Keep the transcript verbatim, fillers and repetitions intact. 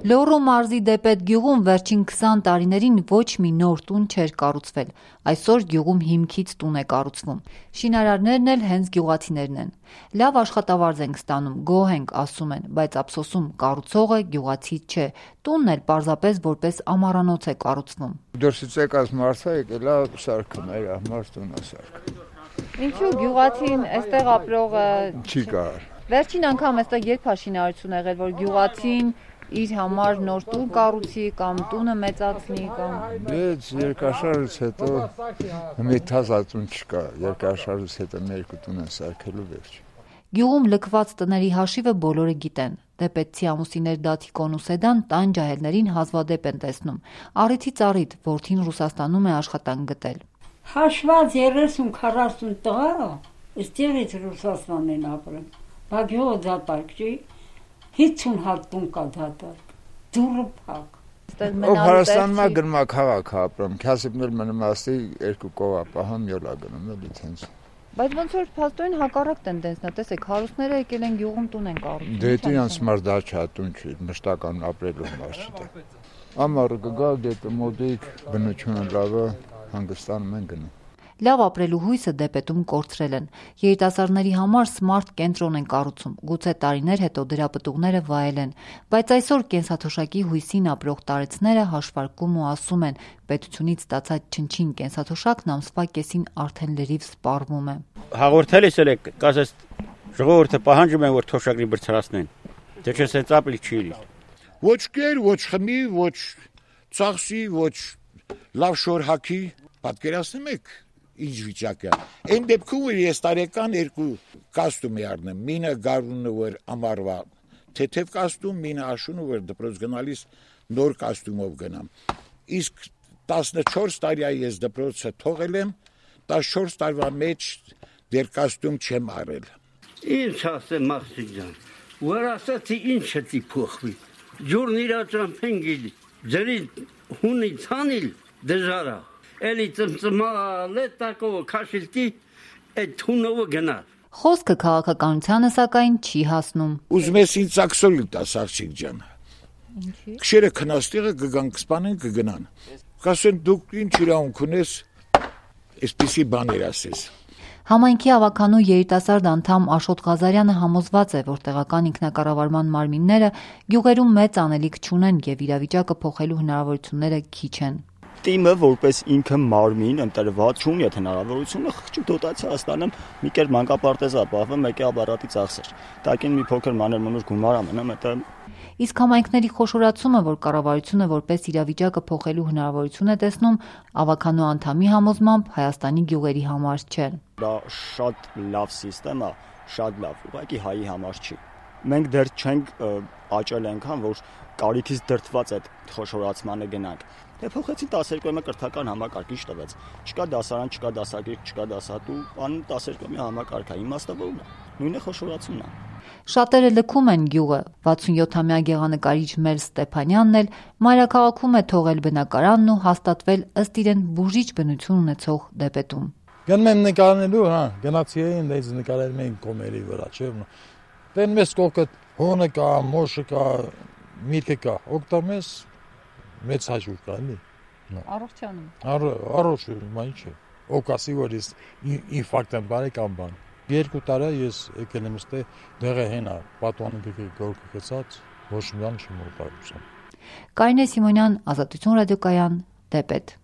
Լոռու մարզի Դեպետ գյուղում վերջին քսան տարիներին ոչ մի նոր տուն չէր կառուցվել։ Այսօր գյուղում հիմքից տուն է կառուցվում։ Շինարարներն էլ հենց գյուղացիներն են։ Լավ աշխատավարձ ենք ստանում, գոհ ենք, ասում են, բայց ափսոսում կառուցողը գյուղացի չէ։ Տունն էլ պարզապես որպես ամառանոց է կառուցվում։ Դուրսից եկած մարդը եկել է սարքում, էր համար տուն է սարքում։ Ինչու գյուղացին այստեղ ապրողը չի կար։ Վերջին անգամ այստեղ երբ է շինարարություն եղել, որ գյուղացին իր համար նոր տուն կառուցի կամ տունը մեծացնի կամ Բայց երկաշարժից հետո մի թազատուն չկա, երկաշարժից հետո երկու տուն են սարքելու վերջ։ Գյուղում լքված տների հաշիվը բոլորը գիտեն։ Դեպետցի ամուսիններ Դաթիկոն ու Սեդան տան ջահելներին հազվադեպ են տեսնում։ Առիթից առիթ որդին Ռուսաստանում է աշխատանք գտել։ Հաշված երեսուն քառասուն տղա, այստեղից Ռուսաստան են ապրում։ Բա գյուղը դատարկ չի։ հինգ հատ տուն կա դատարկ, դուրը փակ։ Ով Հայաստաննա գնում է քաղաք ապրում, քասիպներ մնում ասի երկու կողա պահում յոլա գնում էլի տենց։ Բայց ոնց որ փաստորեն հակառակ տենդենսն է, տեսեք, հարուստները եկել են գյուղում տուն են կառուցում։ Դե դի անց մարդ դաչա տուն չի, մշտական ապրելու համար չի։ Ամառը կգա դեպի մոդիկ բնությունը լավ է, հանգստանում են գնում։ Լավ ապրելու հույսը Դեպետում կորցրել են։ Երիտասարդների համար սմարթ կենտրոն են կառուցում, գուցե տարիներ հետո դրա պտուղները վայել են, բայց այսօր կենսաթոշակի հույսին ապրող տարեցները հաշվարկում ու ասում են, պետությունից ստացած չնչին կենսաթոշակն ամսվա կեսին արդեն լրիվ սպառվում է։ Հաղորդել ես եք, կասես ժողովուրդը պահանջում են, որ թոշակի բարձրացնեն։ Դե չէ սենց ապրիլ չի իրի։ Ոչ կեր, ոչ խմի, ոչ ծախսի, ոչ լավ շոր հագի, պատկերացնում եք ինչ վիճակ է։ Այն դեպքում որ ես տարեկան երկու կոստյում եմ առնում, մինը գարունը որ ամառվա թեթև կոստյում, մինը աշունը որ դպրոց գնալիս նոր կոստյումով գնամ։ Իսկ տասնչորս տարի ես դպրոցը թողել եմ, տասնչորս տարվա մեջ դեր կոստյում չեմ արել։ Ինչ ասեմ Մախսիկ ջան, որ ասացի ինչ է փոխվի։ Ջուրն իր ճամփենգի, ջրի հունի ցանիլ դժարա։ Էլի ծմծմալ է տակով քաշիլտի այդ թունովը գնա։ Խոսքը քաղաքականությանը սակայն չի հասնում։ Ուզում ես ինձ ակսոլի տաս աղջիկ ջան։ Ինչի։ Քշերը քնաստիղը կգան կսպանեն կգնան։ Կասեն դուք ինչ իրավունք ունես այսպիսի բաներ ասես։ Համայնքի ավականու երիտասարդ անդամ Աշոտ Ղազարյանը համոզված է, որ տեղական ինքնակառավարման մարմինները գյուղերում մեծ անելիք չունեն եւ իրավիճակը փոխելու հնարավորությունները քիչ են։ Տիմը որպես ինքը մարմին ընտրված չունի այդ հնարավորությունը խղճի դոտացիա ստանամ մի կեր մանկապարտեզ ապահովում մեկի ապարատի ծախսեր տակին մի փոքր մանր մնուր գումար ամենամ դա իսկ համայնքների խոշորացումը որ կառավարությունը որպես իրավիճակը փոխելու հնարավորություն է տեսնում ավականու անդամի համոզմամբ Հայաստանի գյուղերի համար չէ դա շատ լավ համակարգ է շատ լավ ուղղակի հայի համար չի մենք դեռ չենք աճել այնքան որ կարիքից դրդված այդ խոշորացմանը գնանք Դե փոխեցին տասներկու կրթական համակարգ ինչ տվեց։ Չկա դասարան, չկա դասագիր, չկա դասատու, բան տասներկու համակարգ է, իմաստը ո՞րն է։ Նույնը խոշորացումն է։ Շատերը լքում են գյուղը։ վաթսունյոթամյա գեղանկարիչ Մել Ստեփանյանն էլ մայրաքաղաքում է թողել բնակարանն ու հաստատվել ըստ իրեն բուժիչ բնություն ունեցող Դեպետում։ Գնում եմ նկարելու, հա, գնացի էին, դες նկարել մենք կոմերի վրա, չէ՞։ Դեն մեզ կողքը հոնը կա, մոշը կա, միրգը կա, օգտամես մեծ հաջող կա, էլի։ Առողջանում։ Առողջանում, ինչ է։ Օկասի որ ես ինֆարկտ եմ բարի կամ բան։ Երկու տարի ես եկել եմ ստե դեղը հենա, պատուանը գորգը գցած, ոչ մի բան չեմ ուտարում։ Կարինե Սիմոնյան, Ազատություն ռադիոկայան, Դեպետ։